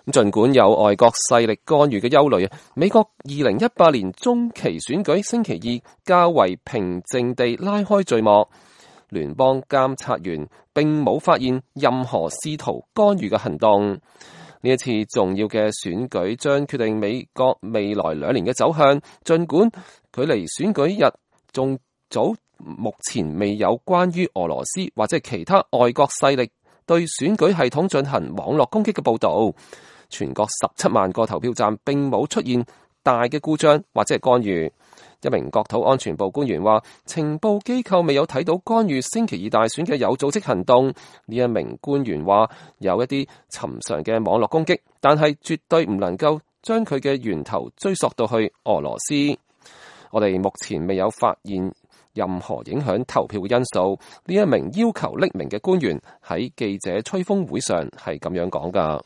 儘管有外國勢力干預嘅憂慮，美國2018年中期選舉星期二較為平靜地拉開序幕，聯邦監察員並冇發現任何試圖干預嘅行動。呢一次重要嘅選舉將決定美國未來2年嘅走向，儘管距離選舉日仲早，目前未有關於俄羅斯或者其他外國勢力對選舉系統進行網絡攻擊嘅報導。全國17萬個投票站並冇出現大嘅故障或者係干預。一名國土安全部官員話，情報機構未有睇到干預星期二大選嘅有組織行動。呢一名官員話，有一啲尋常嘅網絡攻擊，但係絕對唔能夠將佢嘅源頭追溯到去俄羅斯。我哋目前未有發現任何影響投票嘅因素。呢一名要求匿名嘅官員喺記者吹風會上係咁樣講㗎。